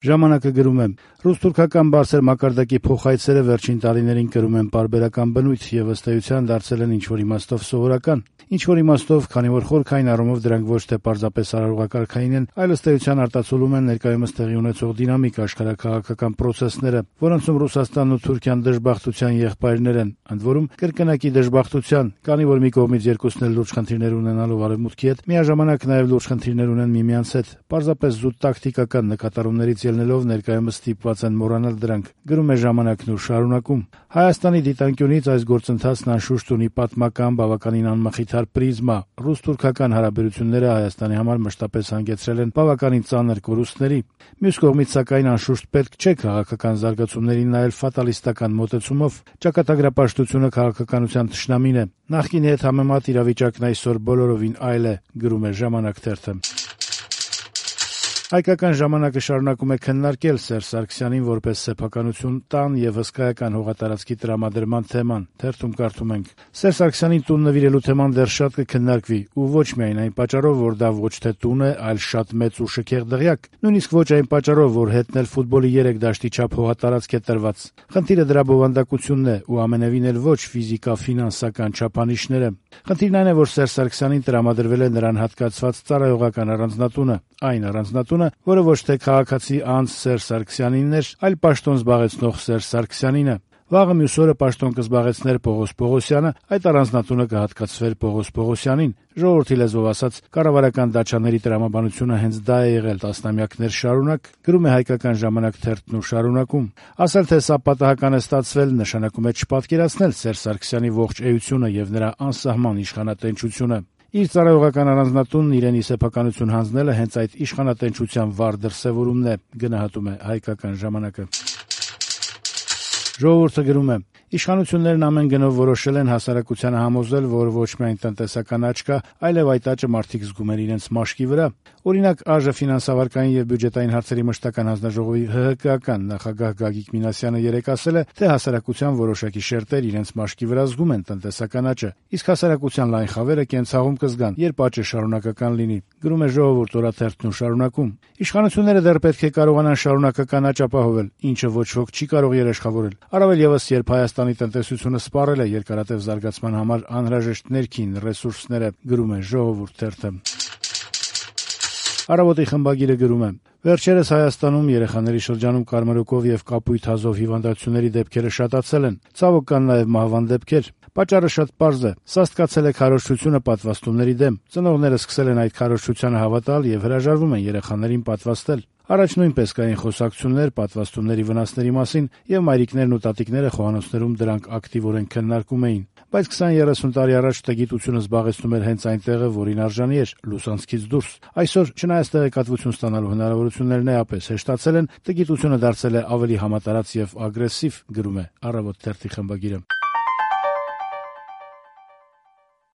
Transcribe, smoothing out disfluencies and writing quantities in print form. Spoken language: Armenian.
Ժամանակը գրում է. «Ռուս-թուրքական բարձր մակարդակի փոխայցերը վերջին տարիներին կրում են պարբերական բնույթ եւ ըստ էության դարձել են ինչ-որ իմաստով սովորական։ Ինչ-որ իմաստով, քանի որ խորքային առումով դրանք ոչ թե պարզապես արարողակարգային են, այլ ըստ էության արտացոլում են ներկայումս տեղի ունեցող դինամիկ աշխարհաքաղաքական process-ները, որոնցում Ռուսաստանն ու Թուրքիան դժբախտության եղբայրներ են, ընդ որում կրկնակի դժբախտության, քանի որ մի կողմից երկուսն էլ լուրջ խնդիրներ ունենալով Արևմուտքի հետ, միաժամանակ նաեւ լուրջ խնդիրներ ունեն միմյանց հետ, պարզապես զուտ տակտիկական նկատառումներից ելնելով ներկայումս ստիպված են մոռանալ դրանք», գրում է «Ժամանակն» ու շարունակում. «Հայաստանի դիտանկյունից այս գործընթացն անշուշտ ունի պատմական բավականին անմխիթար պրիզմա։ Ռուս-թուրքական հարաբերությունները Հայաստանի համար մշտապես հանգեցրել են բավականին ծանր կորուստների։ Մյուս կողմից, սակայն, անշուշտ պետք չէ քաղաքական զարգացումներին նայել ֆատալիստական մոտեցումով։ Ճակատագրապաշտությունը քաղաքականության թշնամին է։ Նախկինի հետ համեմատ իրավիճակն այսօր բոլորովին այլ է», գրում է «Ժամանակ» թերթը։ Հայկական ժամանակը շարունակում է քննարկել Սերժ Սարգսյանին որպես սեփականություն տան եւ հսկայական հողատարածքի տրամադրման թեման։ Թերթում կարդում ենք. «Սերժ Սարգսյանին տուն նվիրելու թեման դեռ շատ կքննարկվի, ու ոչ միայն այն պատճառով, որ դա ոչ թե տուն է, այլ շատ մեծ ու շքեղ դղյակ, նույնիսկ ոչ այն պատճառով, որ հետն էլ ֆուտբոլի 3 դաշտի չափ հողատարածք է տրված։ Խնդիրը դրա բովանդակությունն է ու ամենևին էլ ոչ ֆիզիկա-ֆինանսական չափանիշները։ Խնդիրն այն է, որ Սերժ Սարգսյանին տրամադրվել է նրան հատկացված ծառայողական առանձնատունը, այն առանձնատունը, որը ոչ թե քաղաքացի անձ Սերժ Սարգսյանինն էր, այլ պաշտոն զբաղեցնող Սերժ Սարգսյանինը։ Վաղը մյուս օրը պաշտոն կզբաղեցներ Պողոս Պողոսյանը, այդ առանձնատունը կհատկացվեր Պողոս Պողոսյանին։ Ժողովրդի լեզվով ասած, կառավարական դաչաների տրամաբանությունը հենց դա է եղել տասնամյակներ շարունակ», գրում է «Հայկական ժամանակ» թերթն ու շարունակում. «Ասել, թե սա պատահական է ստացվել, նշանակում է չպատկերացնել Սերժ Սարգսյանի ողջ էությունը եւ նրա անսահման իշխանատենչությունը։ Իր ծառայողական առանձնատունն իրեն ի սեփականություն հանձնելը հենց այդ իշխանատենչության վառ դրսևորումն է», գնահատում է «Հայկական ժամանակը»։ Ժողովուրդը գրում է. «Իշխանություններն ամեն գնով որոշել են հասարակությանը համոզել, որ ոչ միայն տնտեսական աճ կա, այլև այդ աճը մարդիկ զգում են իրենց մաշկի վրա։ Օրինակ, ԱԺ ֆինանսավարկային եւ բյուջետային հարցերի մշտական հանձնաժողովի ՀՀԿ-ական նախագահ Գագիկ Մինասյանը երեկ ասել է, թե հասարակության որոշակի շերտեր իրենց մաշկի վրա զգում են տնտեսական աճը, իսկ հասարակության լայն խավերը կենցաղում կզգան, երբ աճը շարունակական լինի», գրում է «Ժողովուրդ» օրաթերթն ու շարունակում. «Իշխանությունները դեռ պետք է կարողանան շարունակական աճ ապահովել, ինչը ոչ ոք չի կարող երաշխավորել, առավել եւս երբ Հայաստանի տնտեսությունը սպառել է երկարատև զարգացման համար անհրաժեշտ ներքին ռեսուրսները», գրում է «Ժողովուրդ» թերթը։ Առավոտի խմբագիրը գրում է. «Վերջերս Հայաստանում երեխաների շրջանում կարմրուկով եւ կապույտ հազով հիվանդությունների դեպքերը շատացել են, ցավոք կան նաեւ մահվան դեպքեր։ Պատճառը շատ պարզ է. սաստկացել է քարոզչությունը պատվաստումների դեմ, ծնողները սկսել են այդ քարոզչությանը հավատալ եւ հրաժարվում են երեխաներին պատվաստել։ Առաջ նույնպես կային խոսակցություններ պատվաստումների վնասների մասին եւ մայրիկներն ու տատիկները խոհանոցներում դրանք ակտիվորեն քննարկում էին։ Բայց 20-30 տարի առաջ տեղեկատվությունը զբաղեցնում էր հենց այն տեղը, որին արժանի էր՝ լուսանցքից դուրս։ Այսօր, չնայած տեղեկատվություն ստանալու հնարավորություններն էապես հեշտացել են, տեղեկատվությունը դարձել է ավելի համատարած եւ ագրեսիվ», գրում է «Առավոտ» թերթի խմբագիրը։